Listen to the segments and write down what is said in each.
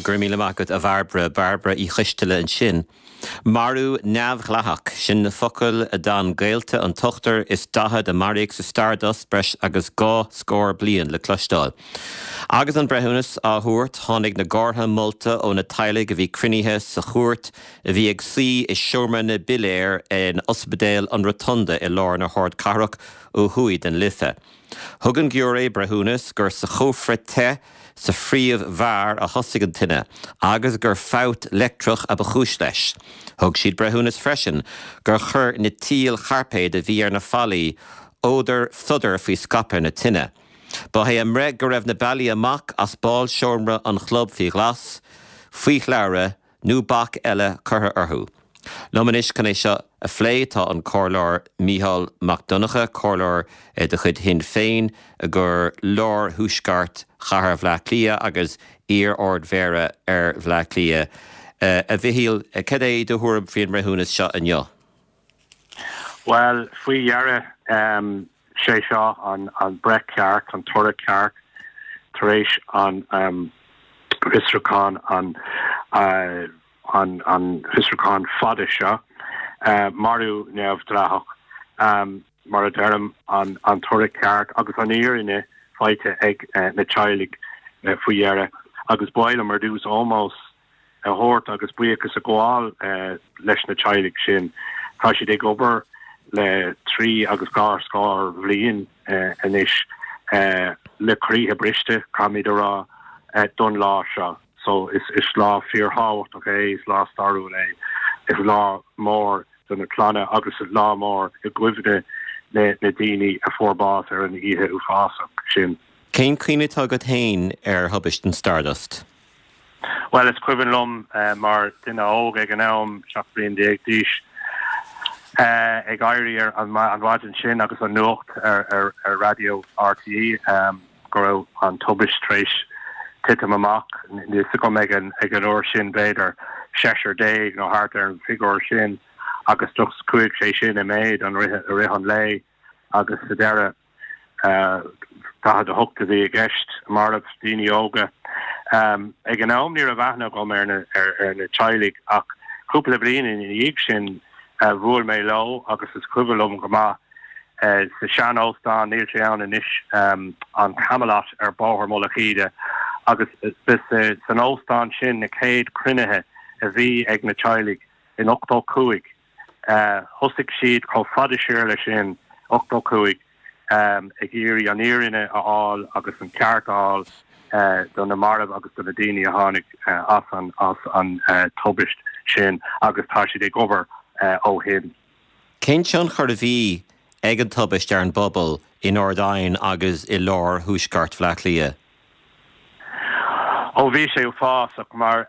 Go raibh míle maith agat, a Bhairbre. Bairbre Uí Choisteala ansin. Marú neamhdhleathach, sin na focail a d'fhan gaolta an t-ochtar is 40 a maraíodh sa Stardust breis agus 2 scór bliain le cloisteáil. Agus an breithiúnas á thabhairt, tháinig na gártha molta ó na teaghlaigh a bhí cruinnithe sa chúirt a bhí ag suí i seomra na bpiléar in Ospidéal an Rotunda i lár na hardchathrach ó thuaidh den Life. Thug an giúiré breithiúnas gur sa chófra te sa phríomh-bheár a thosaigh an tine agus gur fabht leictreach a ba chúis leis. Thug siad breithiúnas freisin gur chuir na tíl chairpéid a bhí ar na fallaí fodar sodar faoi scaipeadh na tine. Ba é a mbreith go raibh na bealaí amach as bálseomra an chlub faoi ghlas, faoi shlabhra nó bac eile curtha orthu. Liom anois chun é seo a phlé tá an Comhairleoir Mícheál Mac Donncha, Comhairleoir de chuid Shinn Féin i gcomhair lár-thuaisceart chathair Bhaile Átha Cliath agus iar-Ard-Mhéara ar Bhaile Átha Cliath. A Mhichíl, cad é do thuairim faoin mbreithiúnas seo inniu? Bhuel, faoi dheireadh, sé seo an breith ceart, an toradh ceart tar éis an fhiosrúchán, an an fiosrúchán fada seo, marú neamhdhleathach, mar a deirim, an toradh ceart agus an fhírinne faighte ag na teaghlaigh faoi dheireadh. Agus ba mhaith liom ar dtús ómós a thabhairt agus buíochas a ghabháil leis na teaghlaigh sin. Tá siad ag obair le trí agus dhá scór bhliain anois le croíthe briste, caithfimid a rá, don lá seo. So is lá fíorthábhachtach é, is lá stairiúil é, is lá mór do na clanna agus is lá mór i gcuimhne na daoine a fuair bás ar an oíche uafásach sin. Cén cuimhne atá agat féin ar thubaist an Stardust? Bhuel, is cuimhin liom mar duine óg ag an am, 17 bliain d'aois, ag éirí ar an mhaidin sin agus an nuacht ar raidió RTÉ go raibh an tubaist tar éis titim amach. Níl fhios agam ag an ag an uair sin b'fhéidir seisear déag nó thart ar an bhfigiúr sin agus just chuaigh sé sin i méid an rith i rith an lae agus sa deireadh 48 a bhí i gceist, marbh, daoine óga. Ag an am ní raibh aithne agam ar na ar na teaghlaigh ach cúpla bliain ina dhiaidh sin bhuail mé leo agus is cuimhin liom go maith sa sean-óstán, níl sé ann anois, an Camelot ar Bhóthar Mullach Íde agus ba san óstán sin na chéad chruinnithe a bhí ag na teaghlaigh in 85. Thosaigh siad chomh fada siar le sin, 85, ag iarraidh an fhírinne a fháil agus an ceart a fháil do na mairbh agus do na daoine a tháinig as an as an tubaist sin agus tá siad ag obair ó shin. Cén tionchar a bhí ag an tubaist ar an bpobal in Ard Aidhin agus i lár thuaisceart Bhaile Átha Cliath? Ó bhí sé uafásach mar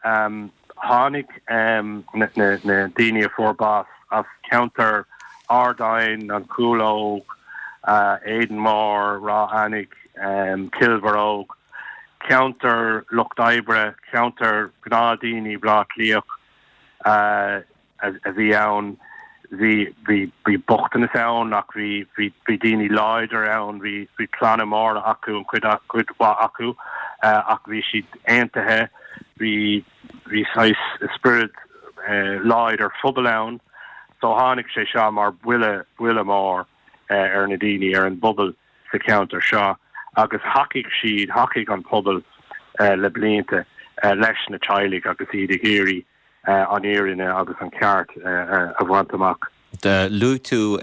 tháinig na daoine a fuair bás as ceantar Ard Aidhin, An Chúlóg, Éadan Mór, Ráth Eanaigh, Cill Bharróg, ceantar lucht oibre, ceantar gnáthdhaoine Bhaile Átha Cliath. a bhí ann. Bhí, bhí, bhí bochtanas ann ach bhí, bhí, bhí daoine láidir ann, bhí, bhí clanna móra acu, an chuid, cuid mhaith acu, ach bhí siad aontaithe, bhí, bhí saghas spiorad láidir phobail ann. So tháinig sé seo mar buille, buille mór ar na daoine, ar an bpobal sa cheantar seo agus thacaigh siad, thacaigh an pobal le blianta leis na teaghlaigh agus iad ag iarraidh an fhírinne agus an ceart a bhaint amach. Luaigh tú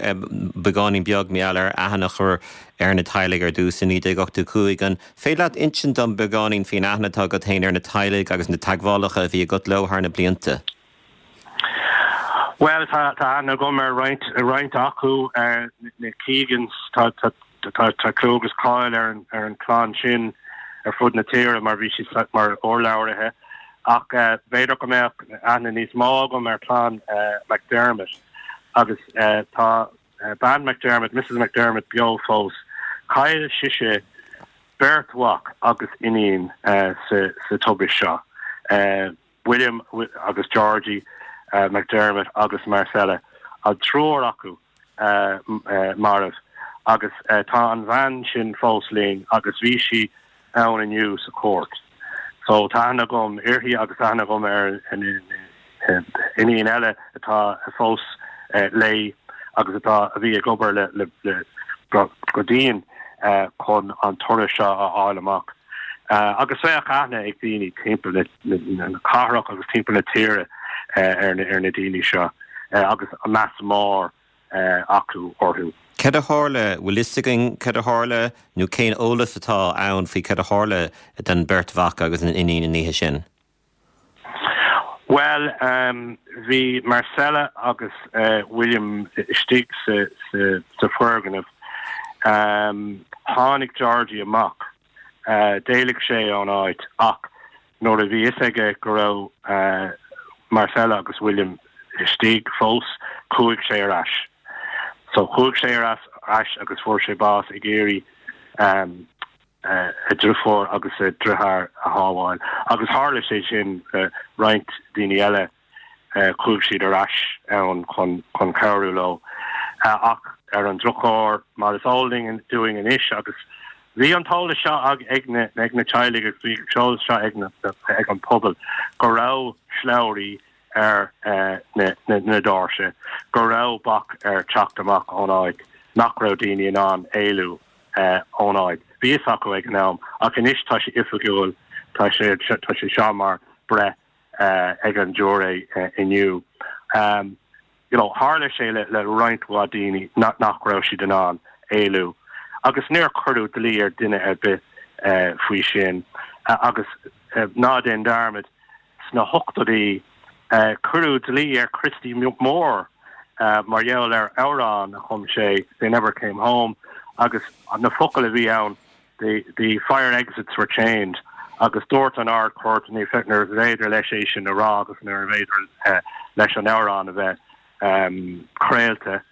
beagáinín beag mar gheall ar aithne a chur ar na teaghlaigh ar dtús i 1985. An féidir leat insint dom beagáinín faoin aithne atá agat féin ar na teaghlaigh agus na teagmhálacha a bhí agat leo thar na blianta? Bhuel, tá aithne agam ar roinnt, roinnt acu, na Keegans, tá, tá, Tá clú agus cáil ar an chlann sin ar fud na tíre mar bhí siad mar urlabhraithe ach b'fhéidir go mbeadh aithne níos mó agam ar chlann McDermott agus tá bean McDermott, Mrs McDermott beo fós. Chaill sise beirt mhac agus iníon sa tubaist seo. William agus Georgie McDermott agus Marcella, an triúr acu marbh agus tá an bhean sin fós linn agus bhí sí ann inniu sa chúirt. So tá aithne agam uirthi agus aithne agam ar iníon eile atá fós léi agus atá, a bhí ag obair le, le, go dian chun an toradh seo a fháil amach. Agus bheadh aithne ag daoine timpeall na cathrach agus timpeall na tíre ar na daoine seo agus meas mór acu orthu. Cad a tharla? Bhfuil fhios againn cad a tharla nó cén eolas atá ann faoi cad a tharla don beirt mhac agus an iníon an oíche sin? Bhuel, bhí Marcella agus William istigh sa foirgneamh. Tháinig Georgie amach. D'éalaigh sé ón áit ach nuair a bhí fhios aige go raibh Marcella agus William istigh fós, chuaigh sé ar ais. So chuaigh sé ar ais agus fuair sé bás ag iarraidh a dhriofúr agus a dhriotháir a shábháil. Agus tharla sé sin le roinnt daoine eile, chuaigh siad ar ais ann chun cabhrú leo. Ach ar an drochuair, mar is eol dúinn anois, agus bhí an t-eolas seo ag na teaghlaigh agus bhí an t-eolas seo ag an pobal, go raibh slabhraí ar na doirse, go raibh bac ar teacht amach ón áit, nach raibh daoine in ann éalú. ón áit. Bhí fhios acu ag an am, ach anois tá sé oifigiúil, tá sé tá sé seo mar breith ag an giúiré inniu. You know, tharla sé le le roinnt mhaith daoine nach raibh siad in ann éalú. Agus níor cuireadh dlí ar duine ar bith faoi sin. Agus ná déan dearmad, Sna hochtóidí, cuireadh dlí ar Christy Moore mar gheall ar amhrán a chum sé, They Never Came Home, agus na focail a bhí ann, The fire exits were chained, agus dúirt an Ard-Chúirt níorbh fhéidir leis é sin a rá agus níorbh fhéidir leis an amhrán a bheith craolta,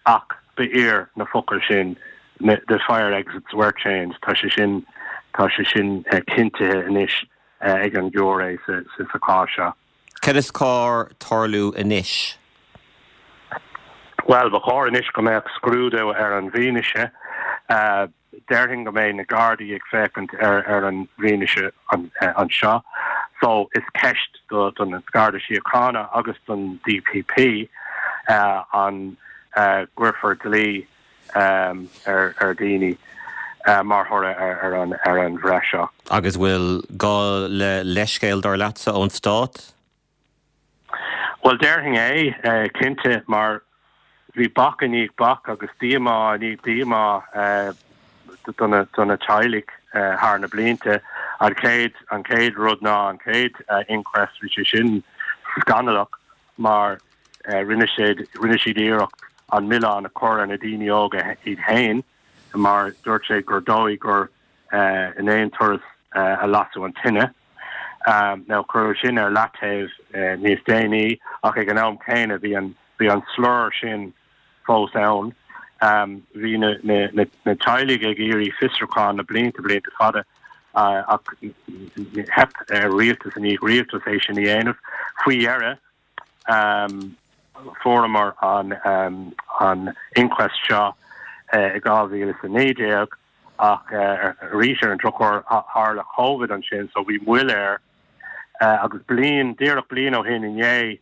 ach ba fhíor na focail sin, The fire exits were chained, tá sé sin, tá sé sin cinntithe anois. ag an ghiúiré sa chás seo. Cad is cóir tarlú anois? Bhuel, ba chóir anois go mbeadh scrúdú ar an bhfianaise. Déarfainn go mbeidh na Gardaí ag féachaint ar an bhfianaise anseo. So, is ceist don Gharda Síochána agus don DPP an gcuirfear dlí ar dhaoine mar thoradh ar an bhreith seo. Agus bhfuil gá le leithscéal, dar leatsa, ón stát? Bhuel, déarfainn é, cinnte, mar bhí bac i ndiaidh bac agus díomá i ndiaidh díomá do na teaghlaigh thar na blianta. An chéad, an chéad rud ná an chéad inquest, bhí sé sin scannalach mar rinne siad, rinne siad iarracht an milleán a chur ar na daoine óga iad féin mar dúirt siad gur dóigh gur in aon turas a lasadh an tine. Now cuireadh sin ar leataobh níos déanaí ach ag an am céanna bhí an, bhí an slur sin fós ann. Bhí na, na, na, na teaghlaigh ag iarraidh fiosrúchán na blianta, blianta fada ach theip ar rialtas i ndiaidh rialtas é sin a dhéanamh. Faoi dheireadh, fuaireamar an inquest seo i 2019 ach arís ar an drochuair tharla Covid ansin so bhí moill air agus bliain, díreach bliain ó shin inné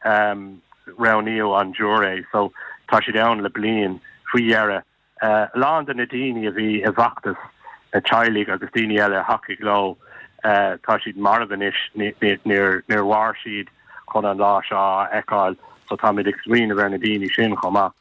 roghnaíodh an giúiré so tá siad ann le bliain faoi dheireadh. A lán de na daoine a bhí i bhfeachtas na teaghlaigh agus daoine eile a thacaigh leo, tá siad marbh anois, níor mhair siad chun an lá seo a fheiceáil, so táimid ag smaoineamh ar na daoine sin chomh maith.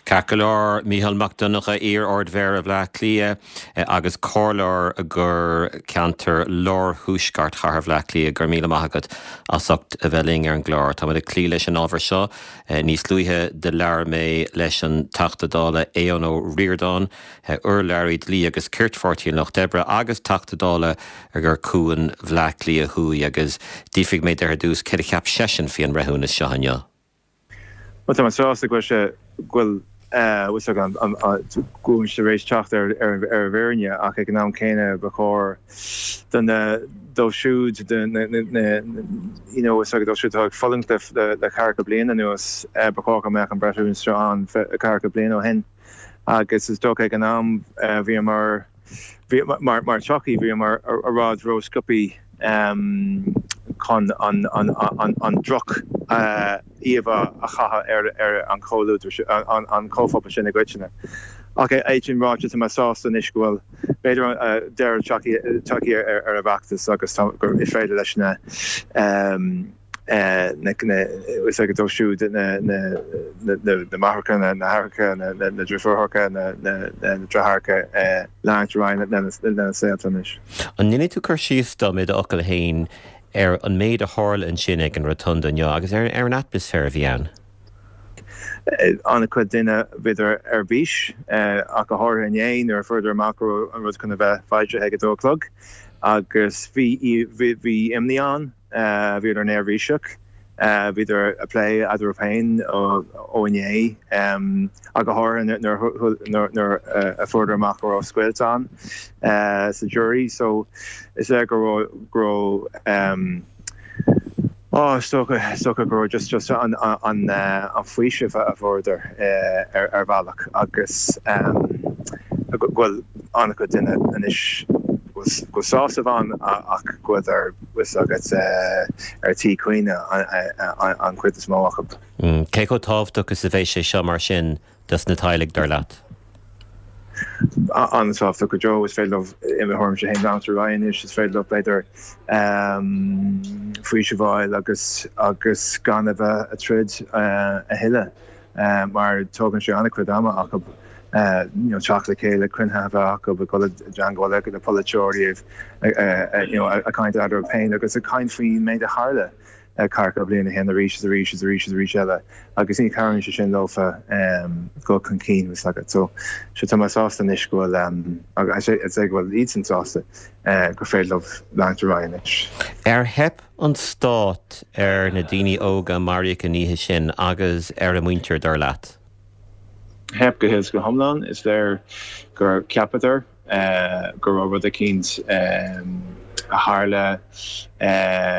Ceart go leor, Mícheál Mac Donncha, iar-Ard-Mhéara Bhaile Átha Cliath agus comhairleoir do cheantar lár-thuaisceart chathair Bhaile Átha Cliath, go raibh míle maith agat as ucht a bheith linn ar an gclár. Táimid ag cloí leis an ábhar seo. Níos luaithe do labhair mé leis an Teachta Dála Aodhán Ó Ríordáin, urlabhraí Dlí agus Cirt Pháirtí an Lucht Oibre agus Teachta Dála do Chuan Bhleá Cliath Thuaidh agus d'fhiafraigh mé de ar dtús céard a cheap seisean faoi an mbreithiúnas seo inniu. Bhuel, tá mé sásta go bhfuil sé, go bhfuil, bhfuil sé go bhfuil muid tar éis teacht ar an bhfírinne ach ag an am céanna ba chóir do na, dóibh siúd, do na, you know, is dóibh siúd atá ag fulaingt le le ceathracha bliain anuas, ba chóir go mbeadh an breithiúnas seo ann ceathracha bliain ó shin agus is dócha ag an am bhíomar. bhí, mar, mar tsochaí, bhíomar i bhfad ró-sciobtha chun an, an, an, an droch íomhá a chaitheamh ar, ar an chomhluadar, an, an comhphobal sin i gcoitinne. Ach é sin ráite, tá mé sásta anois go bhfuil, b'fhéidir, deireadh tagtha ar, ar an bhfeachtas agus tá, gur is féidir leis na, is ag dóibh siúd na máithreacha, na haithreacha, na deirfiúracha, na deartháireacha leanúint ar aghaidh lena saolta anois. An ndéanfaidh tú cur síos dom i d'fhocail féin ar an méid a tharla ansin ag an Rotunda inniu agus ar an atmaisféar a bhí ann? An-chuid duine, bhíodar ar bís, ach go háirithe inné nuair a fuaireadar amach go raibh an rud chun a bheith foilsithe ag a dó a chlog agus bhí imní ann. Bhíodar neirbhíseach. Bhíodar ag plé eatarthu féin ó inné, ach go háirithe nuair a fuaireadar amach go raibh scoilt ann sa jury. So is léir go raibh, go raibh, oh, is dócha, is dócha go raibh just, just an, an, an faoiseamh a fuaireadar ar, ar bhealach agus go bhfuil an-chuid duine anois go bhfuil sásamh ann ach go bhfuileadar bhfuil a fhios agat ar tí caoineadh an chuid is mó acu. Cé chomh tábhachtach is a bheidh sé seo mar sin dos na teaghlaigh, dar leat? An-tábhachtach go deo. Is féidir leo, i mo thuairimse féin, leanúint ar aghaidh anois. Is féidir leo, b'fhéidir, faoiseamh a fháil agus agus gan a bheith ag troid a thuilleadh. mar tógann sé an-chuid ama acu teacht le chéile, cruinnithe a bheith acu, ag dul i dteangmháil le polaiteoirí, ag caint eatarthu féin agus ag caint faoin méid a tharla ceathracha bliain ó shin arís is arís is arís is arís eile agus ní chabhraíonn sé sin leofa dul chun cinn, bhfuil a fhios agat. So, tá mé sásta anois go bhfuil, agus is é go bhfuil iadsan sásta gur féidir leo leanúint ar aghaidh anois. Ar theip an stát ar na daoine óga a maraíodh an oíche sin agus ar a muintir, dar leat? Theip go huile is go hiomlán. Is léir gur cheapadar go raibh rud eicínt a tharla,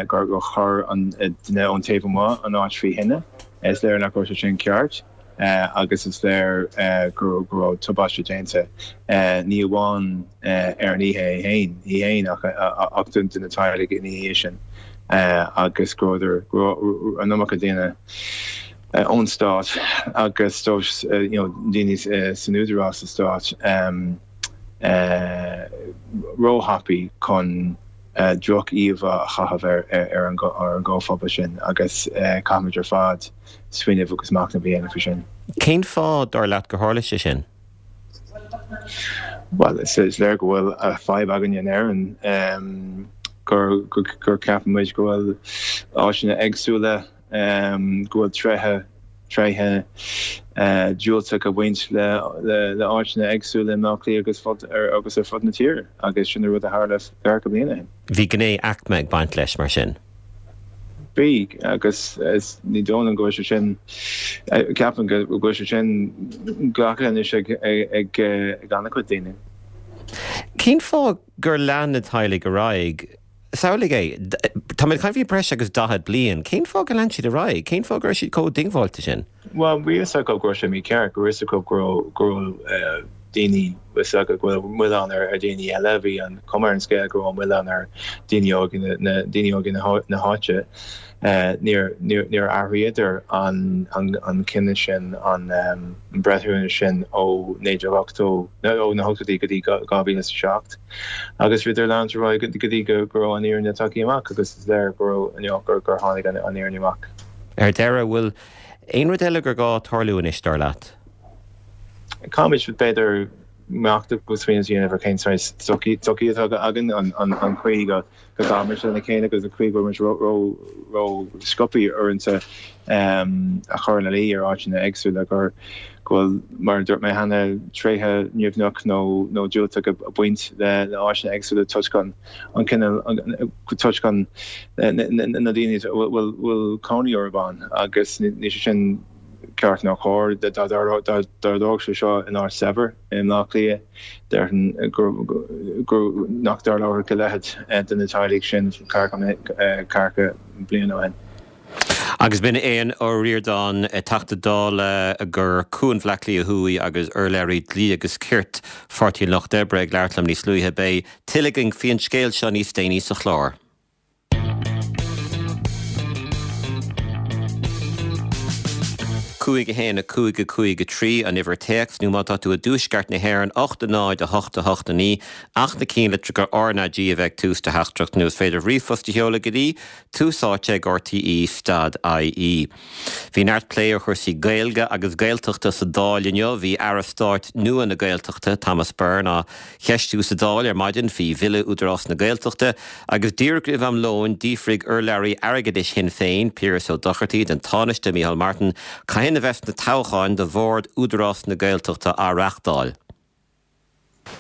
gur chuir an duine ón taobh amuigh an áit faoi thine. Is léir nach raibh sé sin ceart. agus is léir go raibh tubaiste déanta, ní amháin ar an oíche é féin, í féin ach do na teaghlaigh ina dhiaidh sin agus go raibh an iomarca daoine ón stát agus daoine san údarás sa stát róthapaidh chun droch-íomhá a chaitheamh ar an gcomhphobal sin agus caithfimid ar fad smaoineamh agus machnamh a dhéanamh faoi sin. Cén fáth, dar leat, gur tharla sé sin? Bhuel, is léir go bhfuil fadhb againne in Éirinn gur gur ceapann muid go bhfuil áiteanna éagsúla, go bhfuil tréithe tréithe diúltach ag baint le le áiteanna éagsúla i mBleá Cliath agus fud agus ar fud na tíre agus sin an rud a tharla ceathracha bliain ó shin. Bhí gné aicme ag baint leis, mar sin? Bhí, agus ní dóigh liom go bhfuil sé sin, ceapaim go bhfuil sé sin glactha anois ag an-chuid daoine. Cén fáth gur lean na teaghlaigh ar aghaidh? Samhlaigh é, táimid ag caint faoi breis agus 40 bliain, cén fáth gur lean siad ar aghaidh? Cén fáth go raibh siad chomh diongbháilte sin? Bhuel, bhí fhios acu go raibh sé mícheart, go raibh fhios acu go raibh daoine, bhí fhios acu go raibh milleán ar dhaoine eile, bhí an chuma ar an scéal go raibh an milleán ar daoine óga na daoine óga na háite. Níor níor athraíodar an an cinneadh sin, an breithiúnas sin ó 1980, ó na hochtóidí go dtí 2007 agus bhíodar ag leanúint ar aghaidh go dtí go raibh an fhírinne tagtha amach agus is léir go raibh gur gur tháinig an fhírinne amach. Ar deireadh, bhfuil aon rud eile gur gá tarlú anois, dar leat? Caithfimid, b'fhéidir, machnamh agus smaoineamh a dhéanamh ar cén saghas sochaí atá againn, an chaoi go gcaithimid lena chéile agus an chaoi go bhfuil muid ró-sciobtha uaireanta a chur ina luí ar áiteanna éagsúla gur go bhfuil, mar a dúirt mé cheana, tréithe nimhneach nó diúltach ag baint le áiteanna éagsúla toisc an cineál, toisc an na daoine a bhfuil cónaí orthu ann agus níl sé sin ceart ná cóir. Dá dtarlódh sé seo in áit saibhir i mBleá Cliath, déarfainn gur nach dtarlódh a leithéid do na teaghlaigh sin ceathracha bliain ó shin. Agus b'in Aodhán Ó Ríordáin, Teachta Dála do Chuan Bhaile Átha Cliath Thuaidh agus urlabhraí Dlí agus Cirt Pháirtí an Lucht Oibre ag labhairt liom níos luaithe. Beidh tuilleadh againn faoin scéal seo níos déanaí sa chlár. 5 1 5 5 3 an uimhir téacs, nó má tá tú i dtuaisceart na hÉireann, 8 0 8 8 9, ach na cinnlitreacha RnaG a bheith ag tús do theachtaireacht, nó is féidir ríomhphost a sheoladh go dtí Tús Áite ag RTÉ stad IE. Bhí neart plé ar chúrsaí Gaeilge agus Gaeltachta sa Dáil inniu. Bhí Aire Stáit nua na Gaeltachta, Thomas Byrne, á cheistiú sa Dáil ar maidin faoi Bhille Údarás na Gaeltachta agus díreach roimh am lóin d'fhiafraigh urlabhraí airgeadais Shinn Féin, Piaras Ó Dochartaigh, den Tánaiste Micheál Martin cathain a bheas na toghcháin do Bhord Údarás na Gaeltachta á reáchtáil.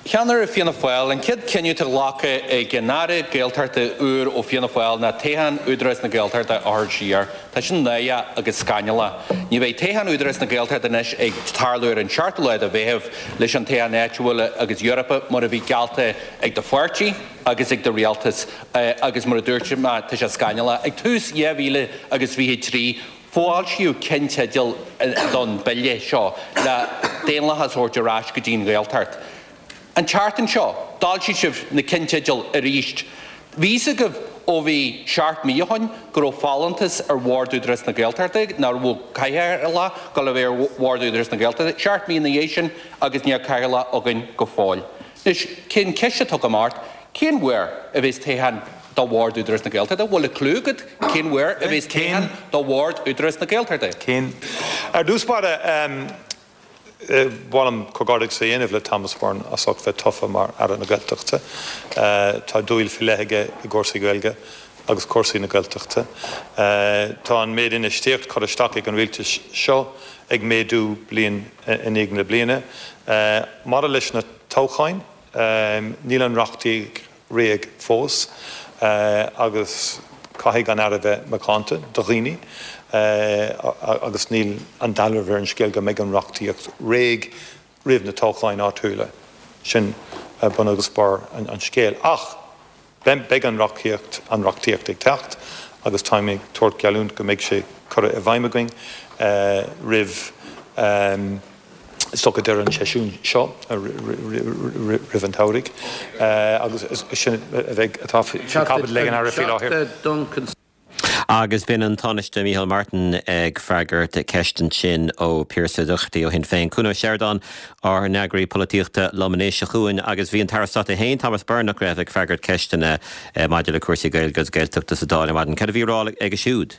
Ceannaire Fianna Fáil, An chéad chinneadh atá glactha ag an Aire Gaeltachta úr ó Fianna Fáil ná toghchán Údarás na Gaeltachta a chur siar. Tá sin náireach agus scannalach. Ní bheidh toghchán Údarás na Gaeltachta anois ag tarlú ar an seachtú lá de Mheitheamh leis an toghchán áitiúil agus Eorpacha mar a bhí geallta ag do pháirtí agus ag do rialtas agus mar a dúirt mé tá sé scannalach. Ag tús 2023 Foilsíodh ceannteidil don bille seo le daonlathas a thabhairt ar ais go dtí an Ghaeltacht. An tseachtain seo, d'fhoilsigh sibh na ceannteidil arís. Bhí fhios agaibh ó bhí seacht mí ó shin go raibh folúntas ar Bhord Údarás na Gaeltachta, nach raibh cathaoirleach ag dul a bheith ar Bhord Údarás na Gaeltachta. Seacht mí ina dhiaidh sin agus níl cathaoirleach againn go fóill. Anois, cén ceist atá agam ort? Cén uair a bheas toghchán do Bhord Údarás na Gaeltachta? Bhfuil clue agat cén uair a bheas toghchán do Bhord Údarás na Gaeltachta? Cén. Ar dtús báire, ba mhaith liom comhghairdeachas a dhéanamh le Thomas Byrne as ucht bheith tofa mar Aire na Gaeltachta. Tá dúil faoi leith aige i gcúrsaí Gaeilge agus cúrsaí na Gaeltachta. Tá an méid infheistíocht curtha isteach ag an rialtas seo ag méadú bliain i ndiaidh na bliana. Maidir leis na toghcháin, Níl an reachtaíocht réidh fós agus caithfidh an Aire bheith macánta do dhaoine agus níl an dealramh ar an scéal go mbeidh an reachtaíocht réidh roimh na toghcháin áitiúla. Sin bun agus barr an scéil. Ach beidh an reachtaíocht an reachtaíocht ag teacht agus táim ag tabhairt geallúint go mbeidh sé curtha i bhfeidhm againn roimh is dócha deireadh an tseisiúin seo roimh an tsamhraidh agus sin a bheidh atá faoi chaibidil ag an Aire faoi láthair. Agus b'in an Tánaiste Micheál Martin ag freagairt ceist ansin ó Pearse Ó Dochartaigh ó Shinn Féin. Cuan Ó Seireadáin, ár n-eagraí polaitíochta liom anois, a Chuain, agus bhí an tAire Stáit é féin, Thomas Byrne, nach raibh, ag freagairt ceisteanna maidir le cúrsaí Gaeilge agus Gaeltachta sa Dáil ar maidin. Cad a bhí á rá aige siúd?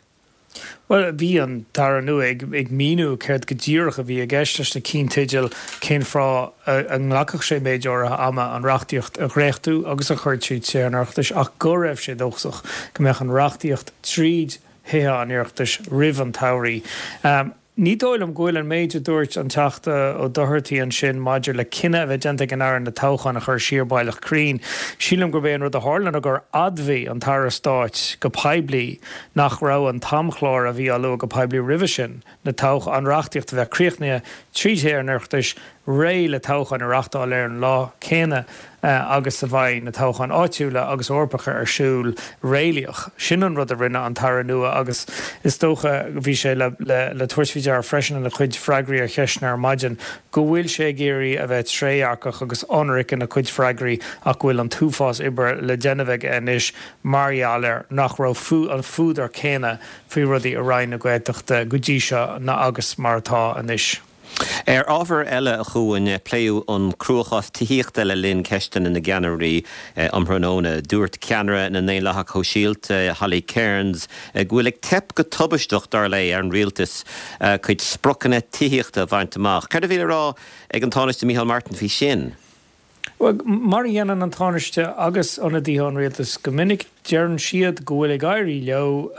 Bhuel, bhí an tAire nua ag míniú céard go díreach a bhí i gceist leis na cinnteidil, cén fáth a nglacfadh sé méid áirithe ama an reachtaíocht a dhréachtú agus a chur tríd Tithe an Oireachtais ach go raibh sé dóchasach go mbeadh an reachtaíocht tríd Thithe an Oireachtais roimh an tsamhraidh. Ní dóigh liom go bhfuil an méid a dúirt an Teachta Ó Dochartaigh ansin maidir le cinneadh a bheith déanta ag an Aire na toghcháin a chur siar baileach cruinn. Sílim gurb é an rud a tharla ná gur admhaigh an tAire Stáit go poiblí nach raibh an t-amchlár a bhí á lua go poiblí roimhe sin, na toghcháin, an reachtaíocht a bheith críochnaithe trí Thithe an Oireachtais, réidh le toghcháin a reachtáil ar an lá céanna agus a bheidh na toghcháin áitiúla agus Eorpacha ar siúl, réalaíoch. Sin an rud a rinne an tAire nua agus is dócha, bhí sé le le tabhairt faoi deara freisin ina chuid freagraí ar cheisteanna ar maidin, go bhfuil sé ag iarraidh a bheith trédhearcach agus ionraic ina chuid freagraí ach go bhfuil an t-uafás oibre le déanamh aige anois mar gheall ar nach raibh an fuadar céanna faoi rudaí i Roinn na Gaeltachta go dtí seo ná agus mar atá anois. Ar ábhar eile, a Chuain, pléadh an cruachás tithíochta le linn ceisteanna na gceannairí um thráthnóna. Dúirt ceannaire na nDaonlathach Shóisialta, Holly Cairns, go bhfuil ag teip go tubaisteach, dar léi, ar an rialtas a cuid spriocanna tithíochta a bhaint amach. Céard a bhí le rá ag an Tánaiste Micheál Martin faoi sin? Bhuel, mar a dhéanann an Tánaiste agus ionadaithe an rialtais go minic, deireann siad go bhfuil ag éirí leo,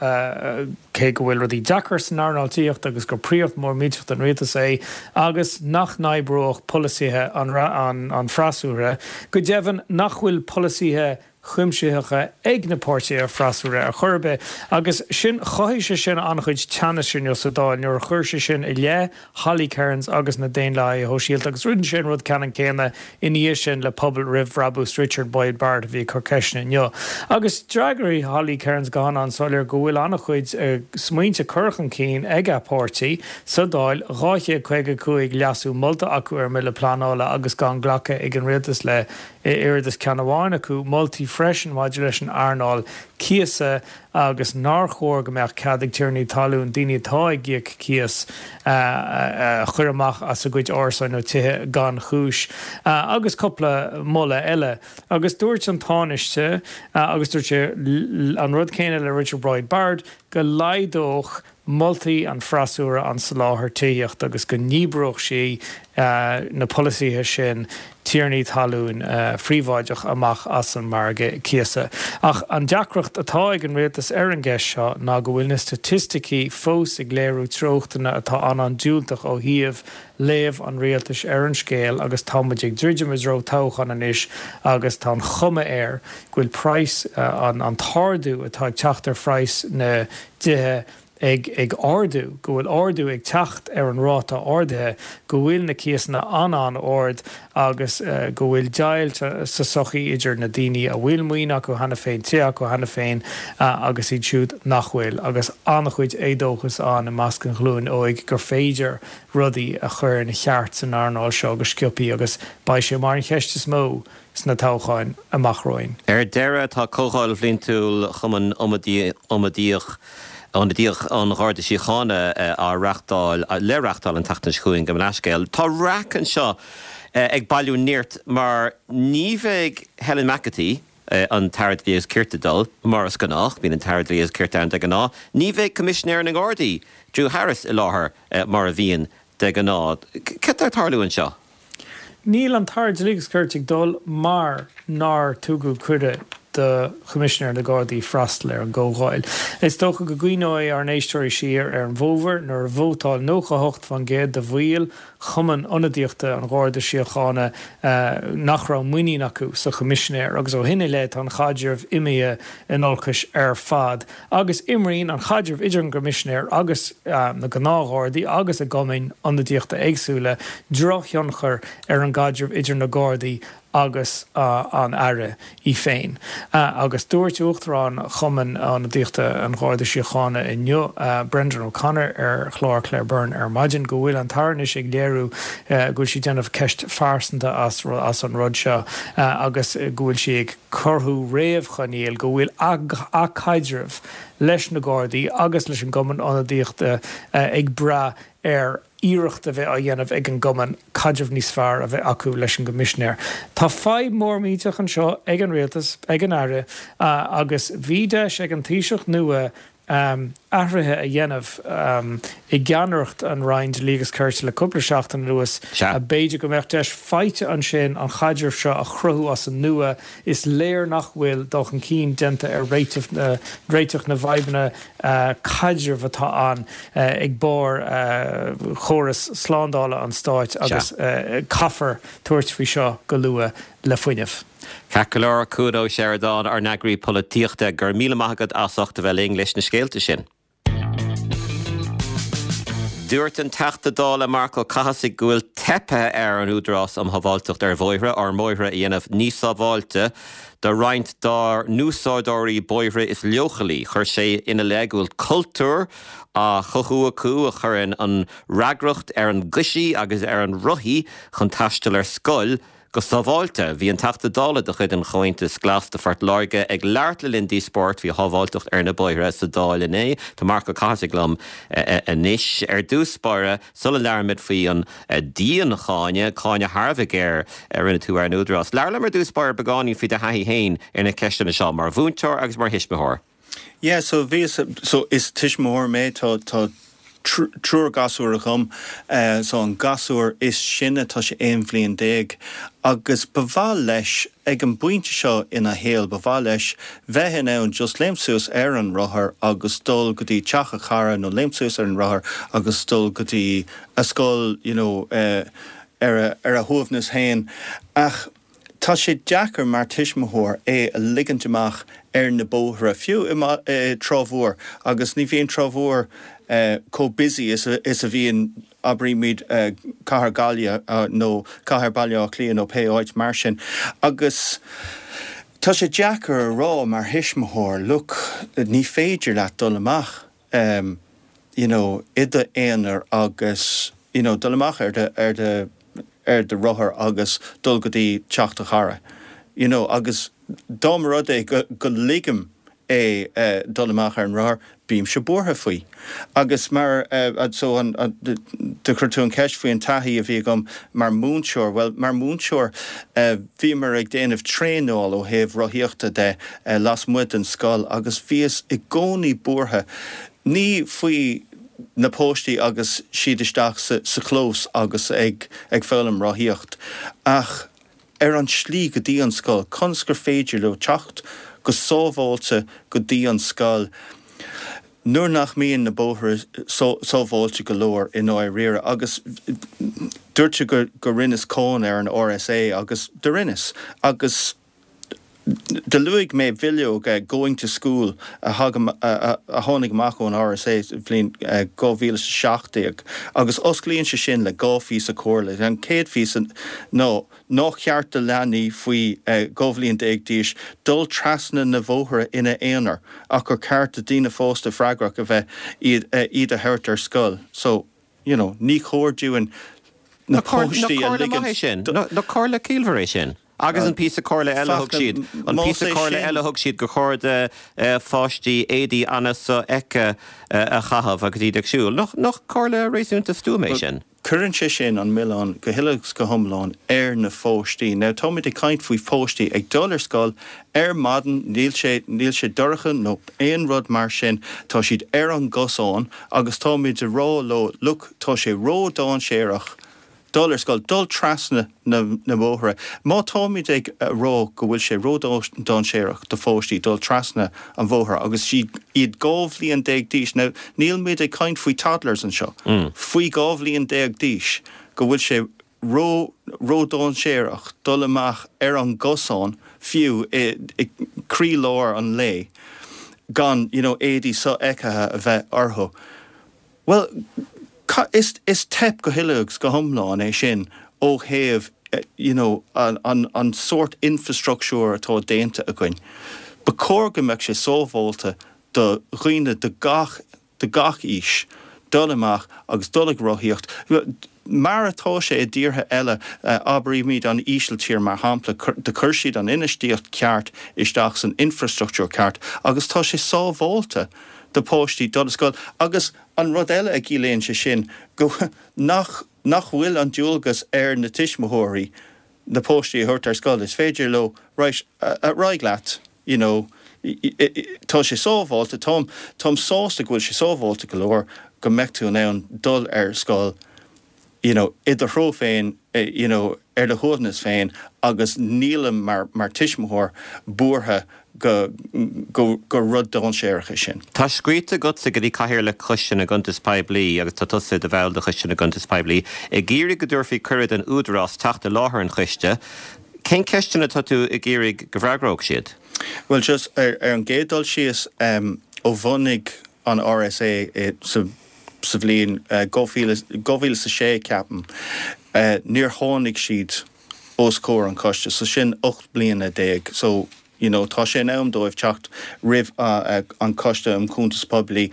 cé go bhfuil rudaí deacair san earnáil tithíochta agus gur príoracht mhór millteach don rialtas é agus nach n-oibreodh polasaithe an freasúra, go deimhin nach bhfuil polasaithe. Chuimsitheacha ag na páirtithe freasúra ar chor ar bith. Agus sin, chothaigh sé sin an-chuid teannais inniu sa Dáil nuair a chuir sé sin i leith Holly Cairns agus na Daonlathaithe Shóisialta agus rinne sé an rud ceannann céanna ina dhiaidh sin le Pobal Roimh Bhrabús Richard Boyd Barrett a bhí ag cur ceisteanna inniu. Agus d'fhreagair Holly Cairns go han-an-soiléir go bhfuil an-chuid smaointe curtha chun cinn ag a páirtí sa Dáil, 255 leasú molta acu ar an mBille Pleanála agus gan glacadh ag an Rialtas le oiread is ceann amháin acu, moltaí freisin maidir leis an earnáil cíosa agus nár chóir go mbeadh cead ag tiarnaí talún daoine atá ag íoc cíos a chur amach as a gcuid árasáin nó tithe gan chúis agus cúpla moladh eile. Agus dúirt an Tánaiste, agus dúirt sé an rud céanna le Richard Boyd Barrett, go laghdódh moltaí an freasúra an soláthar tithíochta agus go ndíbreodh sí na polasaithe sin tiarnaí talún phríobháideach amach as an margadh cíosa. Ach an deacracht atá ag an rialtas ar an gceist seo ná go bhfuil na staitisticí fós ag léiriú treochtanna atá an-an-diúltach ó thaobh léamh an rialtais ar an scéal agus tá muid ag druidim i dtreo toghcháin anois agus tá an chuma air go bhfuil praghas, an t-ardú atá ag teacht ar phraghas na dtithe ag ag ardú, go bhfuil ardú ag teacht ar an ráta ardaithe, go bhfuil na cíosanna an-an-ard agus go bhfuil deighilt sa tsochaí idir na daoine a bhfuil maoin acu cheana féin, tithe acu cheana féin agus iad siúd nach bhfuil agus an-chuid éadóchas ann i measc an ghlúin óig gur féidir rudaí a chur ina cheart san earnáil seo go sciobthaí agus beidh sé mar an cheist is mó sna toghcháin amach romhainn. Ar deireadh, tá Comhdháil Bhliantúil Chumann Ionadaíoch an Gharda Síochána á reáchtáil, le reáchtáil an tseachtain seo chugainn, gabh mo leathscéal. Tá raic anseo ag bailiú nirt mar ní bheidh Helen McEntee, an tAire Dlí agus Cirt ag dul, mar is gnách, bíonn an tAire Dlí agus Cirt ann de ghnáth. Ní bheidh Coimisinéir na nGardaí, Drew Harris, i láthair mar a bhíonn de ghnáth. Cad tá ag tarlú anseo? Níl an tAire Dlí agus Cirt ag dul mar nár tugadh cuireadh do Choimisinéir na Gardaí freastal ar an gcomhdháil. Is dócha go gcuimhneoidh ár n-éisteoirí siar ar an bhfómhar nuair a vótáil 98% de bhaill Chumann Ionadaíochta an Gharda Síochána nach raibh muinín acu sa Choimisinéir agus ó shin i leith tá an chaidreamh imithe in olcais ar fad agus imríonn an chaidreamh idir an gCoimisinéir agus na gnáthghardaí agus a gcumainn ionadaíochta éagsúla drochthionchar ar an gcaidreamh idir na Gardaí agus an Aire í féin. Agus dúirt Uachtarán Chumann Ionadaíochta an Gharda Síochána inniu, Brendan O'Connor, ar chlár Claire Byrne ar maidin go bhfuil an tAire anois ag léiriú go bhfuil sí ag déanamh ceist phearsanta as an rud seo agus go bhfuil sí ag cruthú réamhchoinníoll go bhfuil a caidreamh leis na Gardaí agus leis an gCumann Ionadaíochta ag brath ar iarracht a bheith á dhéanamh ag an gcumann caidreamh níos fearr a bheith acu leis an gCoimisinéir. Tá fadhb mhór millteach anseo ag an Rialtas, ag an Aire, agus bhí deis ag an Taoiseach nua athruithe a dhéanamh i gceannaireacht an Roinn Dlí agus Cirt le cúpla seachtain anuas. B'fhéidir go mbeadh deis faighte ansin an chaidreamh seo a chruthú as an nua. Is léir nach bhfuil dul chun cinn déanta ar réiteach na bhfadhbanna caidrimh atá ann ag barr chóras slándála an stáit agus caithfear tabhairt faoi seo go luath le fuinneamh. Ceart go leor, Cuan Ó Seireadáin, ár n-eagraí polaitíochta, go raibh míle maith agat as ucht a bheith linn leis na scéalta sin. Dúirt an Teachta Dála Marc Ó Cathasaigh go bhfuil teipthe ar an Údarás um Shábháilteacht ar Bhóithre ár mbóithre a dhéanamh níos sábháilte do roinnt dár n-úsáideoirí bóithre is leochailí. Chuir sé ina leith go bhfuil cultúr á chothú acu a chuireann an fhreagracht ar an gcoisí agus ar an rothaí chun taisteal ar scoil go sábháilte. Bhí an Teachta Dála de chuid an Chomhaontais Glas do Phort Láirge ag labhairt le linn díospóireacht faoi shábháilteacht ar na bóithre sa Dáil inné. Tá Marc Ó Cathasaigh liom anois. Ar dtús báire, sula labhraímid faoi an diancháineadh, cáineadh thar a bheith géar a rinne tú ar an Údarás, labhair liom ar dtús báire beagáinín faoi do thaithí féin ar na ceisteanna seo, mar mhúinteoir agus mar thuismitheoir. Yeah, so bhíos, so is tuismitheoir mé, tá, tá triúr gasúr agam, so an gasúr is sine tá sé 11 bhliain agus ba mhaith leis, ag an bpointe seo ina shaol, ba mhaith leis bheith in ann just léimt suas ar an rothar agus dul go dtí teach a chara nó léimt suas ar an rothar agus dul go dtí a scoil, you know, ar a, ar a shuaimhneas féin. Ach. Tá sé deacair mar tuismitheoir é a ligint amach ar na bóithre, fiú i Trá Mhór, agus ní bhíonn Trá Mhór chomh busy is a bhíonn, abraímid, cathair Gaillimhe nó cathair Baile Átha Cliath nó pé áit mar sin. Agus tá sé deacair a rá mar thuismitheoir, look, ní féidir leat dul amach. you know i d'aonar agus you know dul amach ar do ar do ar do rothar agus dul go dtí teach do chara you know agus dá mba rud é go go ligim é dul amach ar an rothar bímse buartha faoi. Agus mar so an do chuir tú an cheist faoi an taithí a bhí agam mar mhúinteoir bhuel mar mhúinteoir bhíomar ag déanamh traenáil ó thaobh rothaíochta de lasmuigh den scoil agus bhíos i gcónaí buartha, ní faoi na páistí agus siad isteach sa chlós agus ag foghlaim rothaíocht ach ar an slí go dtí an scoil, conas gur féidir leo teacht go sábháilte go dtí an scoil nuair nach mbíonn na bóithre sábháilte go leor i ndáiríre. Agus dúirt tú go rinneas cáineadh ar an RSA agus do rinneas agus Do luaigh mé bileog Going to School a tháinig amach ón RSA sa bhliain 2017 agus osclaíonn sé sin le 2 phíosa comhairle. An chéad phíosa ná nár cheart do leanaí faoi 12 bhliain d'aois dul trasna na bhóithre ina n-aonar ach gur ceart do daoine fásta freagrach a bheith iad a thabhairt ar scoil. So. you know, ní chóir dúinn na páistí a ligean. Nach comhairle maith é sin? Nach comhairle ciallmhar é sin? Agus an píosa comhairle eile a thug siad, an píosa comhairle eile a thug siad gur chóir do pháistí éadaí an-sofheicthe a chaitheamh agus iad ag siúl. Nach comhairle réasúnta stuama é sin? Cuireann sé sin an milleán go huile agus go hiomlán ar na pháistí. Now táimid ag caint faoi pháistí ag dul ar scoil ar maidin, níl sé, níl sé dorcha nó aon rud mar sin, tá siad ar an gcosán agus táimid ag rá leo look, tá sé ró-dainséarach dul ar scoil, dul trasna na mbóithre. Má táimid ag rá go bhfuil sé ró-dainséarach do pháistí dul trasna an bhóthair agus siad iad 12 bhliain d'aois, now níl muid ag caint faoi toddlers anseo, faoi 12 bhliain d'aois, go bhfuil sé ró, ró-dainséarach dul amach ar an gcosán fiú i gcroílár an lae gan you know éadaí sofheicthe a bheith orthu. Bhuel, is, is teip go huile agus go hiomlán é sin ó thaobh you know an, an, an sórt infrastructúir atá déanta againn. Ba chóir go mbeadh sé sábháilte do dhaoine de gach de gach aois dul amach agus dul ag rothaíocht, mar atá sé i dtíortha eile, abraímid an Ísiltír mar shampla, do chuir siad an infheistíocht ceart isteach san infrastruchtúr ceart agus tá sé sábháilte do pháistí dul ar scoil. Agus an rud eile a chiallaíonn sé sin, go nach nach bhfuil an dualgas ar na tuismitheoirí na páistí a thabhairt ar scoil, is féidir leo, right, ar aghaidh leat, you know, tá sé sábháilte, táim, táim sásta go bhfuil sé sábháilte go leor go mbeadh tú in ann dul ar scoil, you know, i do threo féin, you know, ar do shuaimhneas féin agus nílim mar, mar tuismitheoir buartha go, go, gur rud dainséarach é sin. Tá scríte agatsa go dtí Cathaoirleach Choiste na gCuntas Poiblí, agus tá tusa i do bhall de Choiste na gCuntas Poiblí, ag iarraidh go dtabharfaí cuireadh don Údarás teacht i láthair an choiste. Cén ceisteanna atá tú ag iarraidh go bhfreagródh siad? Bhuel, just ar an gcéad dul síos, ó bhunaigh an RSA sa sa bhliain 2006, ceapaim, níor tháinig siad os comhair an choiste, so sin 18 bliana. So, you know, tá sé in am dóibh teacht roimh an Coiste um Chuntas Poiblí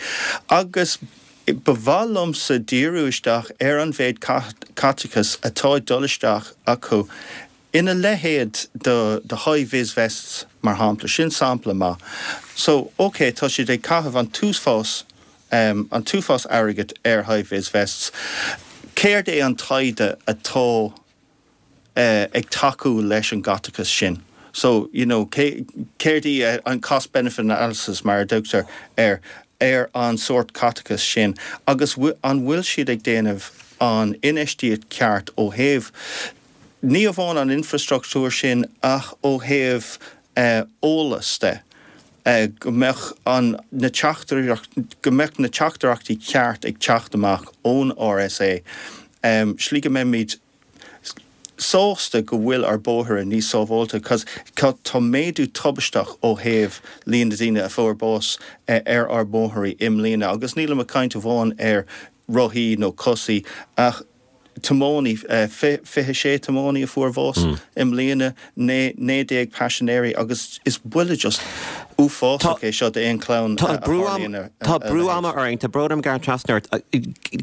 agus ba mhaith liomsa díriú isteach ar an mhéid caiteachais atá ag dul isteach acu ina leithéid de de high vis vests mar shampla, sin sampla maith. So, ok, tá siad ag caitheamh an t-uafás an t-uafás airgid ar high vis vests. Céard é an taighde atá ag tacú leis an gcaiteachas sin. So, you know, céard í an cost benefit analysis mar a dtugtar air, ar an sórt caiteachais sin agus an bhfuil siad ag déanamh an infheistíocht ceart ó thaobh ní amháin an infrastruchtúr sin ach ó thaobh eolas de, go mbeadh an, na teachtaireacht, go mbeadh na teachtaireachtaí ceart ag teacht amach ón RSA, slí go mbeimid. sásta go bhfuil ár bóithre níos sábháilte 'cause tá méadú tubaisteach ó thaobh líon na daoine a fuair bás ar ár mbóithrí i mbliana agus nílim ag caint amháin ar rothaí nó cosaí ach tiománaí, 26 tiománaí a fuair bhás i mbliana, 19 paisinéirí agus is buille just uafásach é seo d'aon chlann a tharlaíonn a Tá brú ama orainn, tá brón orm gearradh trasna ort.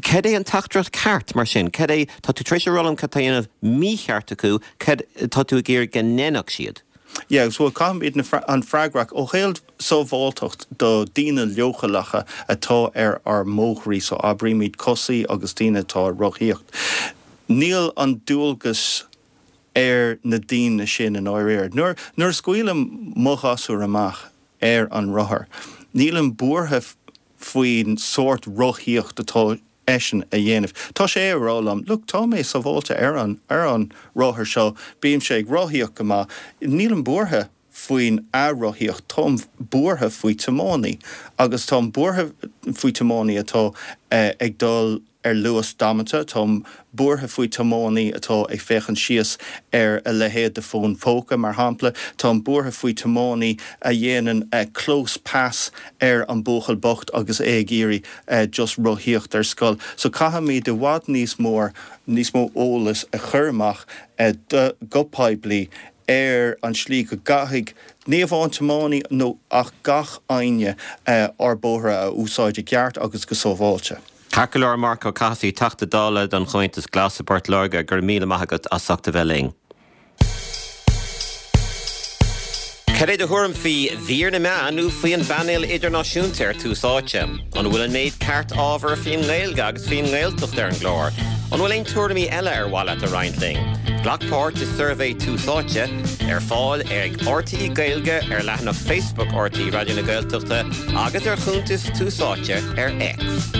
Cad é an teachtaireacht ceart mar sin? Cad é, tá tú tar éis a rá liom cad tá á dhéanamh mícheart acu, cad tá tú ag iarraidh go ndéanfadh siad? Yeah, so caithfimid an freagrach ó thaobh sábháilteacht do daoine leochaileacha atá ar ár mbóithrí, so abraímid cosaí agus daoine atá ag rothaíocht. Níl an dualgas ar na daoine sin i ndáiríre. Nuair nuair a scaoilim mo ghasúr amach ar an rothar, nílim buartha faoin sórt rothaíocht atá eisean a dhéanamh. Tá sé ag rá liom, look, tá mé sábháilte ar an, ar an rothar seo, bímse ag rothaíocht go maith, nílim buartha faoin a rothaíocht, táim buartha faoi tiománaí agus táim buartha faoi tiománaí atá ag dul ar luas damanta, táim buartha faoi tiománaí atá ag féachaint síos ar a leithéid de fón póca, mar shampla, táim buartha faoi tiománaí a dhéanann close pass ar an buachaill bocht agus é ag iarraidh just rothaíocht ar scoil. So caithfimid i bhfad níos mór, níos mó eolas a chur amach do, go poiblí ar an slí go gcaithfidh, ní amháin tiománaí nó ach gach éinne ár bóithre a úsáid i gceart agus go sábháilte. Ceart go leor, Marc Ó Cathasaigh, Teachta Dála don Chomhaontas Glas i bPort Láirge, go raibh míle maith agat as ucht a bheith linn. Cad é do thuairim faoi mhír na meán nó faoi an bpainéal idirnáisiúnta ar Tús Áite? An bhfuil an méid ceart ábhar faoin nGaeilge agus faoin nGaeltacht ar an gclár? An bhfuil aon tuairimí eile ar mhaith leat a roinnt linn? Glac páirt i suirbhé Tús Áite, ar fáil ag RTÉ Gaeilge ar leathanach Facebook RTÉ Raidió na Gaeltachta agus ar chuntas Tús Áite ar X.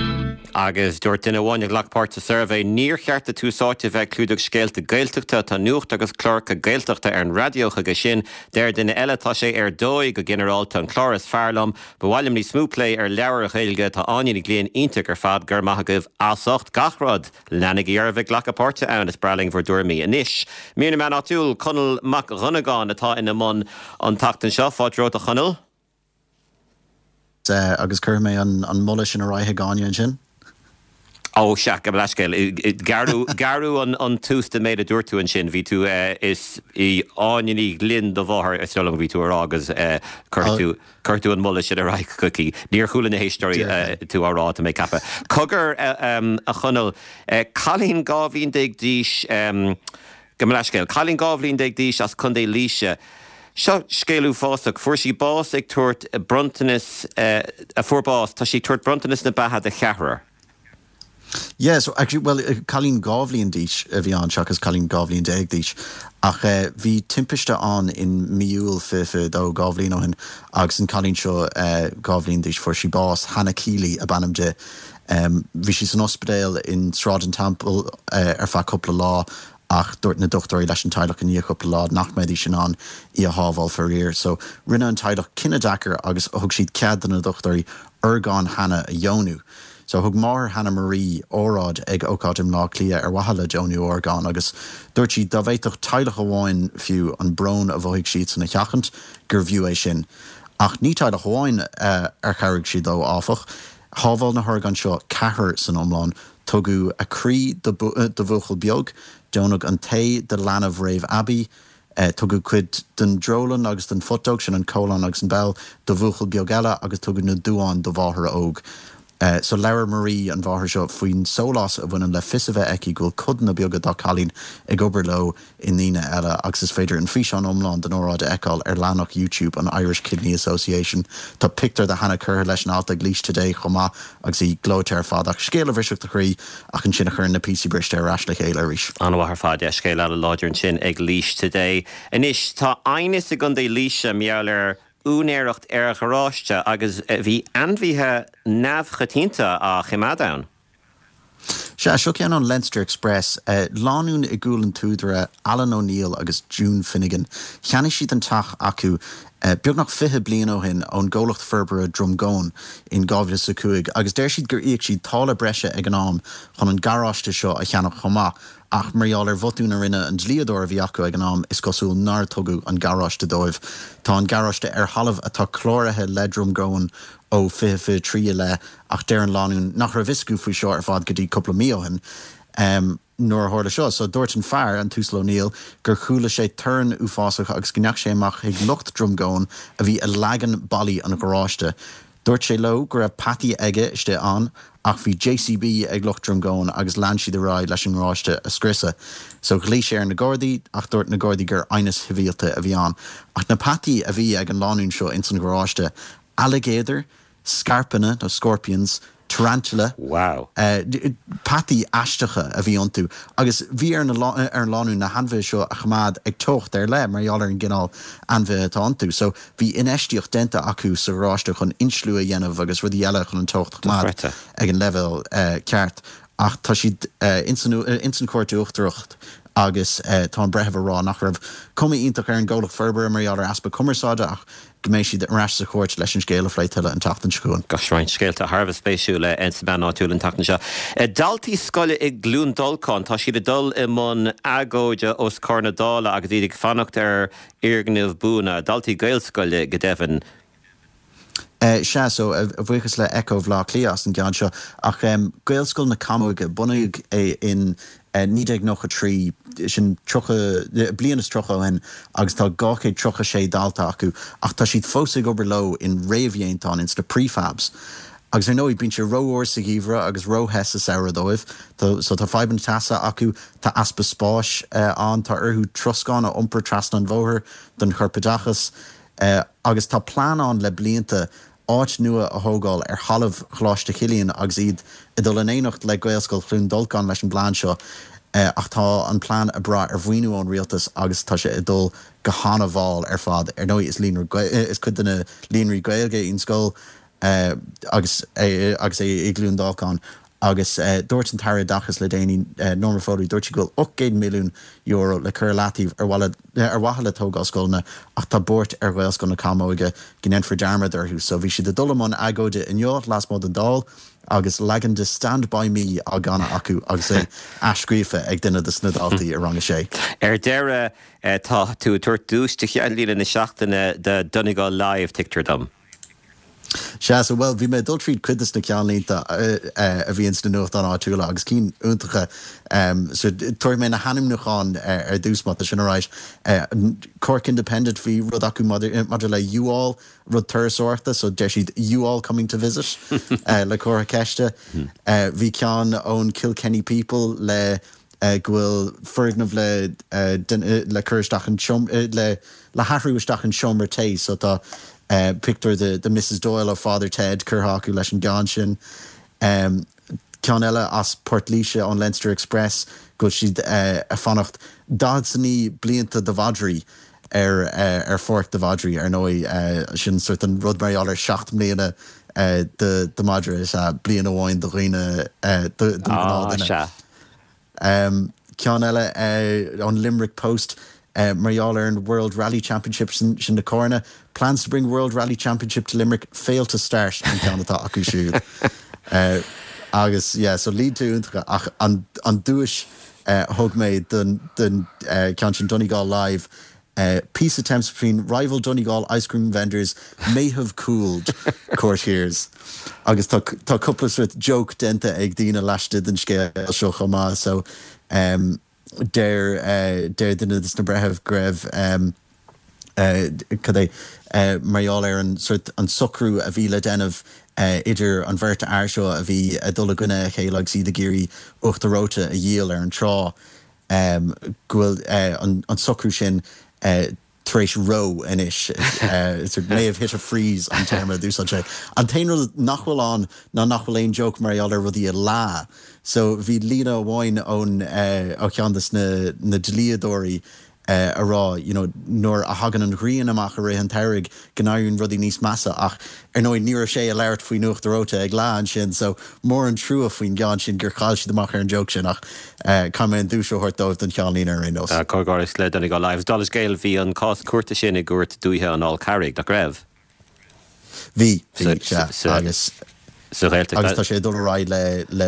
Agus dúirt duine amháin a ghlac páirt sa suirbhé, Níor cheart do Tús Áite bheith ag clúdach scéalta Gaeltachta, tá nuacht agus cláracha Gaeltachta ar an raidió chuige sin. Deir duine eile, Tá sé ar dóigh go ginearálta, an clár is fearr liom. Ba mhaith liom níos mó plé ar leabhair Ghaeilge, tá Áine Ní Ghlinn iontach ar fad, go raibh maith agaibh as ucht gach rud! Leanaigí oraibh ag glacadh páirte ann, is breá linn bhur dtuairimí. Anois, mír na meán áitiúil, Conall Mac Dhonnagáin atá ina mbun an tseachtain seo. Fáilte romhat a Chonaill. Agus cuirfidh mé an moladh sin ar aghaidh chuig Áine ansin. Ó, sea, gabh mo leithscéal. Gearradh an tús den méid a dúirt tú ansin. Bhí tú, is í Áine Ní Ghlinn do mháthair, is dóigh liom a bhí tú a rá agus cuirfidh tú, cuirfidh tú an moladh sin ar aghaidh chuici. Níor chuala na héisteoirí tú á rá, tá mé ag ceapadh. Cogar, a Chonaill, cailín 12 bhliain d'aois, Gabh mo leithscéal. Cailín 12 bhliain d'aois as Contae Laoise. Seo scéal uafásach. Fuair sí bás ag tabhairt bronntanas, a fuair bás, tá sí ag tabhairt bronntanas na beatha do cheathrar. Yeah, so actually, bhuel, cailín 2 bhliain d'aois a bhí ann seachas cailín 12 bhliain d'aois. Ach bhí timpiste ann in mí Iúil 2022, 2 bhliain ó shin, agus an cailín seo 2 bhliain d'aois, fuair sí bás, Hannah Keeley ab ainm di. Bhí sí san ospidéal in Sráid an Teampaill ar feadh cúpla lá ach dúirt na dochtúirí leis an teaghlach i ndiaidh cúpla lá nach mbeidís in ann í a shábháil faraor. So rinne an teaghlach cinneadh deacair agus thug siad cead do na dochtúirí orgáin Hannah a dheonú. So thug máthair Hannah Marie óráid ag ócáid i mBleá Cliath ar mhaithe le deonú orgán agus dúirt sí dá bhféadfadh teaghlach amháin fiú an brón a mhothaigh siadsan a sheachaint gurbh fhiú é sin. Ach ní teaghlach amháin ar chabhraigh siad leo áfach. Shábháil na horgáin seo ceathrar san iomlán. Tugadh a croí do bhuachaill beag, deonaíodh an t-ae do leanbh réamh-aibí, tugadh cuid den drólann agus den phutóg, sin an colon agus an bowel, do bhuachaill beag eile agus tugadh na duáin do mháthair óg. So labhair Marie, an mháthair seo, faoin sólás a bhaineann le fios a bheith aici go bhfuil codanna beaga dá cailín ag obair leo i ndaoine eile agus is féidir an físeán iomlán den óráid a fheiceáil ar leathanach YouTube an Irish Kidney Association. Tá pictiúr de Hannah curtha leis an alt ag Laois Today chomh maith agus í gleoite ar fad ach scéal a bhrisfeadh do chroí ach ansin a chuireann na píosaí briste ar ais le chéile arís. An-mhaith ar fad, yeah, scéal an-láidir ansin ag Laois Today. Anois, tá aighneas i gContae Laoise mar gheall ar úinéireacht ar gharáiste agus bhí ainmhithe neamhchoitianta á choimeád ann. Sea, seo ceann ón Leinster Express. Lánúin i gCúil an tSúdaire, Alan O'Neill agus June Finnegan. Cheannaigh siad an teach acu. Beagnach 20 bliain ó shin ón gcomhlacht forbartha Drumgoan in 2005 agus deir siad gur íoc siad táille breise ag an am chun an garáiste seo a cheannach chomh maith ach mar gheall ar bhotún a rinne an dlíodóir a bhí acu ag an am is cosúil nár tugadh an garáiste dóibh. Tá an garáiste ar thalamh atá cláraithe le Drumgoan ó 2023 i leith ach deir an lánúin nach raibh fhios acu faoi seo ar fad go dtí cúpla mí ó shin. Nuair a tharla seo, so dúirt an fear, an tUasal O'Neill, gur chuala sé torann uafásach agus go ndeachaigh sé amach chuig lucht Drumgoan a bhí ag leagan ballaí an gharáiste. Dúirt sé leo go raibh peataí aige istigh ann ach bhí JCB ag lucht Drumgoan agus lean siad ar aghaidh leis an ngaráiste a scriosadh. So ghlaoigh sé ar na Gardaí ach dúirt na Gardaí gur aighneas sibhialta a bhí ann. Ach na peataí a bhí ag an lánúin seo ins an gharáiste, ailligéadar, scairpeanna nó scorpions, tarantula, Wow. peataí aisteacha a bhí iontu agus bhí ar ar an lánúin na hainmhithe seo a choimeád ag teocht ar leith mar gheall ar an gcineál ainmhithe atá iontu. So bhí infheistíocht déanta acu sa gharáiste chun insliú a dhéanamh agus rudaí eile chun an teocht a choimeád Dochreidte. ag an leibhéal ceart. Ach tá siad ins an Chúirt Uachtarach agus tá an breitheamh ag rá nach raibh cuma iontach ar an gcomhlacht forbartha mar gheall ar easpa cumarsáide ach go mbeidh siad ar ais sa chúirt leis an scéal a phlé tuilleadh an tseachtain seo chugainn. Gosh, roinnt scéalta thar a bheith spéisiúil sna meáin áitiúla an tseachtain seo. Daltaí scoile i gCluain Dolcáin, tá siad ag dul i mbun agóide os comhair na Dála agus iad ag fanacht ar fhoirgneamh buan. Daltaí Gaelscoile, go deimhin. Sea, so, a bhuíochas le Echo Bhaile Átha Cliath as an gceann seo. Ach Gaelscoil na Camóige, bunaíodh é in 1993, sin 30, bliain is 30 ó shin, agus tá 236 dalta acu, ach tá siad fós ag obair leo in réamhdhéantáin, ins na prefabs. Agus ar ndóigh, bíonn sé rófhuar sa gheimhreadh agus róthe sa samhradh dóibh, so tá fadhbanna teasa acu, tá easpa spáis ann, tá orthu troscán a iompar trasna an bhóthair don chorpoideachas, agus tá plean ann le blianta áit nua a thógáil ar thalamh Choláiste Chilliain agus iad ag dul in éineacht le Gaelscoil Chluain Dolcáin leis an bplean seo ach tá an plean ag brath ar mhaoiniú ón rialtas agus tá sé ag dul go han-mhall ar fad. Ar ndóigh is líonra is cuid de na líonraí Gaeilge í an scoil agus agus é i gCluain Dolcáin agus dúirt an tAire Oideachais le déanaí, Norma Foley, dúirt sí go bhfuil €800 milliún le cur i leataobh ar ar mhaithe le tógáil scoileanna ach tá buairt ar Ghaelscoil na Camóige go ndéanfar dearmad orthu. So bhí siad ag dul i mbun agóide inniu lasmuigh den Dáil agus leagan de Stand By Me á gcanadh acu agus é athscríofa ag duine de na daltaí i rang a sé. Ar deireadh, tá tú ag tabhairt duais do cheannlíne na seachtaine do Donegal Live, tuigtear dom. Sea, so, bhuel, bhí mé ag dul tríd cuid des na ceannlínte a bhí ins na nuachtáin áitiúla agus cinn iontacha. So, tabharfaidh mé na hainmniúcháin ar dtús má tá sin alright. Cork Independent, bhí rud acu maidir le U-Haul, rud turasóireachta, so deir siad U-Haul coming to visit le comhartha ceiste. Bhí ceann ón Kilkenny People le go bhfuil foirgneamh le le cur isteach an le le hathrú isteach in seomra tae so tá pictiúr de de Mrs Doyle ó Father Ted curtha acu leis an gceann sin. Ceann eile as Port Laoise ón Leinster Express go bhfuil siad ag fanacht 49 blianta do mhadraí ar ar pháirc do mhadraí ar ndóigh sin sort an rud mar gheall ar 7 mbliana do do mhadra is ea bliain amháin do dhaoine do don ghnáthdhuine. Ceann eile ón Limerick Post mar gheall ar an World Rally Championship, sin na carranna. Plans to bring World Rally Championship to Limerick fail to start an ceann atá acu siúd. Agus yeah, so línte iontacha ach an duais a thug mé don ceann sin Donegal Live, Peace attempts between rival Donegal ice cream vendors may have cooled, court hears. Agus tá tá cúpla sort joke déanta ag daoine laistigh den scéal seo chomh maith so deir deir duine de na breithimh go raibh cad é mar gheall ar an sort an socrú a bhí le déanamh idir an bheirt fhear seo a bhí ag dul i gcoinne a chéile agus iad ag iarraidh uachtar reoite a dhíol ar an trá. go bhfuil an socrú sin tar éis reo anois. May have hit a freeze an téarma a d'úsáid sé. An t-aon rud nach bhfuil ann ná nach bhfuil aon joke mar gheall ar rudaí ag leá. So bhí líne amháin ón ó cheann de na dlíodóirí. a rá you know nuair a thagann an ghrian amach i rith an tsamhraidh go n-éiríonn rudaí níos measa ach ar ndóigh ní raibh sé ag labhairt faoi Nuacht Reoite ag leath ansin so mór an trua faoin gceann sin gur chaill siad amach ar an joke sin ach caithfidh mé an duais a thabhairt dóibh don cheannlíne ar aon nós. Comhghairdeas le Donegal Live. Dála scéil bhí an cás cúirte sin i gCúirt Dúiche an Fhál Carraigh, nach raibh? Bhí, bhí, sea, agus. Sa Ghaeltacht. Agus tá sé ag dul ar aghaidh le, le,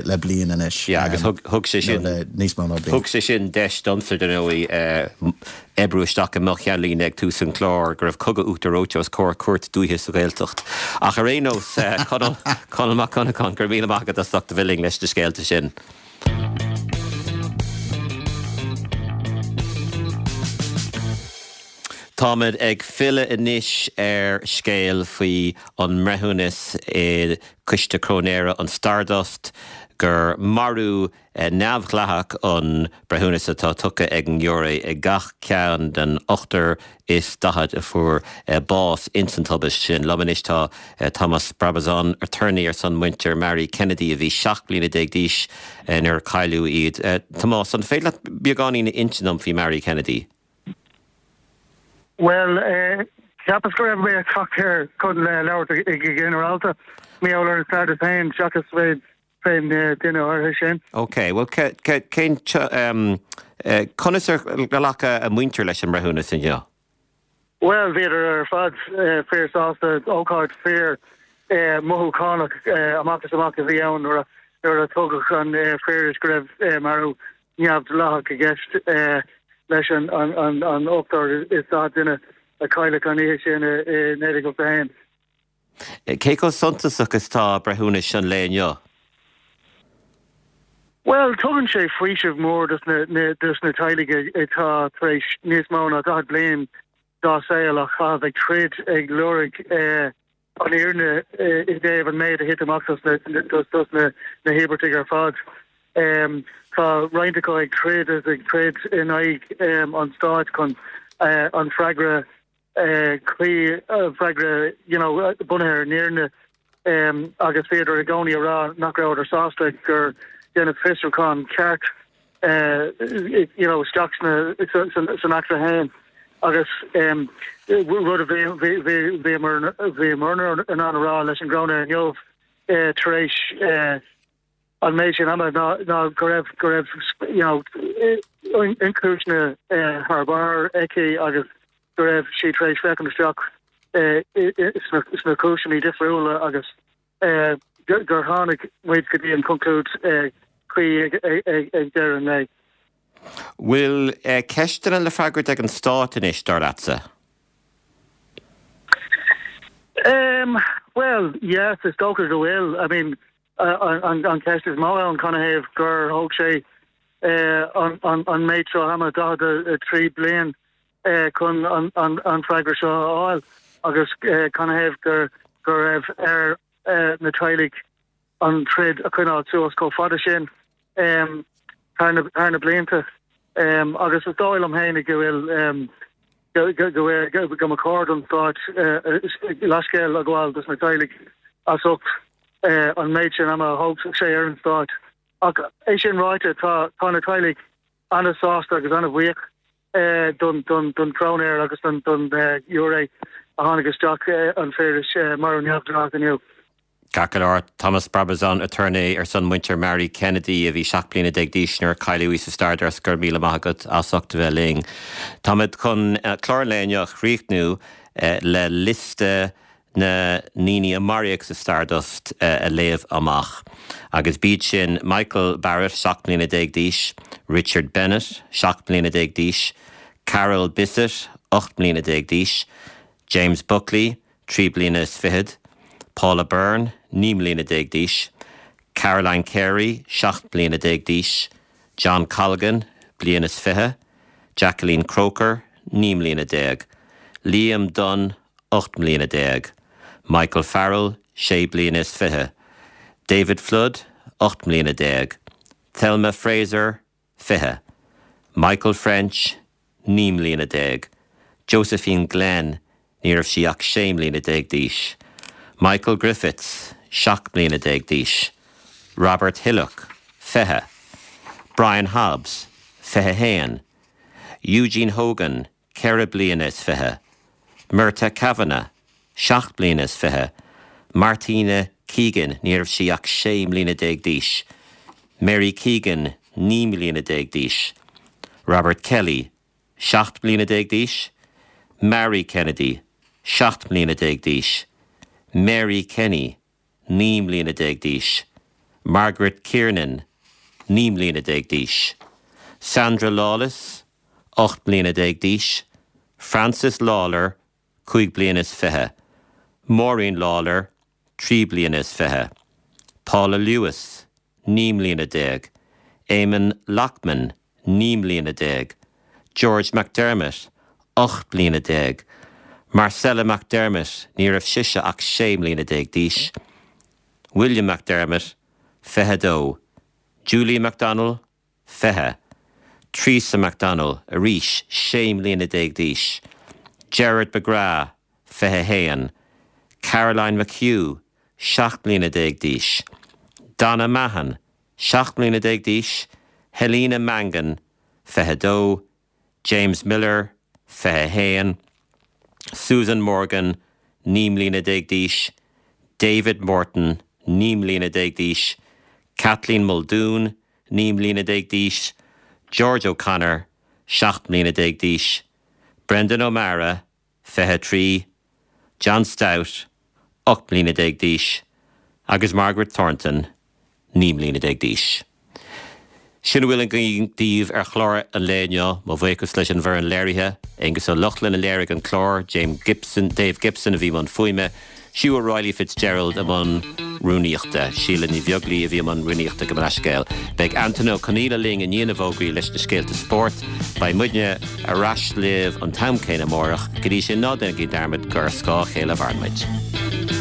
le bliain anois. Yeah, agus thug, thug sé sin, nó le níos mó ná bliain. Thug sé sin deis domsa, dar ndóigh, oibriú isteach i mo cheannlíne ag tús an chláir go raibh cogadh uachtar reoite os comhair cúirt dúiche sa Ghaeltacht. Ach ar aon nós, Conall, Conall Mac Connacháin, go raibh míle maith agat as ucht a bheith linn leis na scéalta sin. Táimid ag filleadh anois ar scéal faoi an mbreithiúnas i gCoiste Cróinéara an Stardust gur marú neamhdhleathach an breithiúnas atá tugtha ag an ngiúiré i gach ceann den ochtar is 40 a fuair bás ins an tubaist sin. Liom anois tá Tomás Brabazon, aturnae ar son muintir Marie Kennedy a bhí 17 bliana d'aois nuair a cailleadh iad. Tomás, an féidir leat beagáinín a insint dom faoi Marie Kennedy? Bhuel, cheapas go raibh mé ag teacht air chun labhairt go ginearálta mar gheall ar an Stardust féin seachas fén duine áirithe sin. Ok, bhuel cén, conas ar ghlac a muintir leis an mbreithiúnas inniu? Bhuel, bhíodar ar fad fíor sásta, ócáid fíor mothúchánach amach is amach a bhí ann nuair a tugadh an fíoras go raibh marú neamhdhleathach i gceist leis an ochtar is 40 duine a cailleadh an oíche sin i 1981. Cé chomh suntasach is atá breithiúnas an lae inniu? Bhuel, tugann sé faoiseamh mór dos na teaghlaigh atá tar éis níos mó ná 40 bliain dá saol a chaitheamh ag troid ag lorg an fhírinne i dtaobh an méid a thit amach dos na híobartaigh ar fad. Tá roinnt acu ag troid is ag troid in aghaidh an stáit chun an freagra cuí, freagra you know bunaithe ar an fhírinne agus bhíodar i gcónaí a rá nach rabhadar sásta gur déanadh fiosrúchán ceart you know isteach sna san eachtra féin agus rud a bhíomar bhíomar in ann a rá leis an gcróinéir inniu tar éis an méid sin ama ná go raibh go raibh you know ionchúiseanna thar barr aici agus go raibh sí tar éis féachaint isteach sna cúiseanna difriúla agus gur tháinig muid go dtí an conclúid cuí ag deireadh an lae. Bhfuil ceisteanna le freagairt ag an Stát anois, dar leatsa? Bhuel, yes, is dócha go bhfuil. I mean, An cheist is mó ann, canathaobh gur thóg sé an méid seo ama, 43 bliain, chun an freagra seo a fháil agus canathaobh go raibh ar na teaghlaigh an troid a choinneáil suas chomh fada sin thar na blianta. Agus is dóigh liom féinig go bhfuil go go mba chóir don Stát leithscéal a ghabháil dos na teaghlaigh as ucht an méid sin ama a thóg sé ar an Stát. Ach é sin ráite, tá tá na teaghlaigh an-sásta agus an-bhuíoch don don don chróinéir agus don don ghiúiré a tháinig isteach an fíoras marú neamhdhleathach inniu. Ceart go leor, Thomas Brabazon, aturnae ar son muintir Marie Kennedy a bhí 17 bliana d'aois nuair a cailleadh í sa Stardust, go raibh míle maith agat as ucht a bheith linn. Táimid chun clár an lae inniu a chríochnú le liosta na ndaoine a maraíodh sa Stardust a léamh amach. Agus b'iad sin, Michael Barrett, 17 mbliana d'aois, Richard Bennett, 17 mbliana d'aois, Carol Bissett, 18 mbliana d'aois, James Buckley, 3 bliana is fichead, Paula Byrne, 19 mbliana d'aois, Caroline Carey, 17 mbliana d'aois, John Colgan, bliain is 20, Jacqueline Croker, 19 mbliana, Liam Dunne, 18 mbliana, Michael Farrell, 6 bliana is 20, David Flood, 18 mbliana, Thelma Fraser, 20, Michael French, 19 mbliana, Josephine Glenn, ní raibh sí ach 16 mbliana d'aois, Michael Griffiths, 17 mbliana d'aois, Robert Hillock, 20, Brian Hobbs, 21, Eugene Hogan, 24 bliana. Murtagh Kavanagh, 7 bliana is fiche. Martina Keegan, ní raibh sí ach 16 mbliana d'aois. Mary Keegan, 19 mbliana d'aois. Robert Kelly, 17 mbliana d'aois. Mary Kennedy, 17 mbliana d'aois. Mary Kenny, 19 mbliana d'aois. Margaret Kiernan, 19 mbliana d'aois. Sandra Lawless, 18 mbliana d'aois. Frances Lawlor, 25 bliana. Maureen Lawlor, 23 bliana. Paula Lewis, 19 mbliana. Eamon Lockman, 19 mbliana. George McDermott, 18 bliana. Marcella McDermott, ní raibh sise ach 16 mbliana d'aois. William McDermott, 22. Julie McDonnell, 20. Teresa McDonnell, arís 16 mbliana d'aois. Gerard McGrath, 21. Caroline McHugh, 17 mbliana d'aois. Donna Mahon, 17 mbliana d'aois. Helena Mangan, 22. James Miller, 21. Susan Morgan, 19 mbliana d'aois. David Morton, 19 mbliana d'aois. Kathleen Muldoon, 19 mbliana d'aois. George O'Connor, 17 mbliana d'aois. Brendan O'Meara, 23, John Stout, 18 mbliana d'aois, agus Margaret Thornton, 19 mbliana d'aois. Sin a bhfuil againn daoibh ar chlár an lae inniu. Mo bhuíochas leis an bhfoireann léirithe, Aengus Ó Lochlainn a léirigh an clár, James Gibson, Dave Gibson a bhí i mbun fuaime, Hugh O'Reilly Fitzgerald i mbun rúnaíochta, Síle Ní Bheaglaoi a bhí i mbun rúnaíochta gabh mo leithscéal. Beidh Antain Ó Conaola linn i ndiaidh na bhfógraí leis na scéalta spóirt. Beidh muidne ar ais libh an t-am céanna amárach. Go dtí sin, ná déanaigí dearmad gur ar scáth a chéile a mhaireann muid.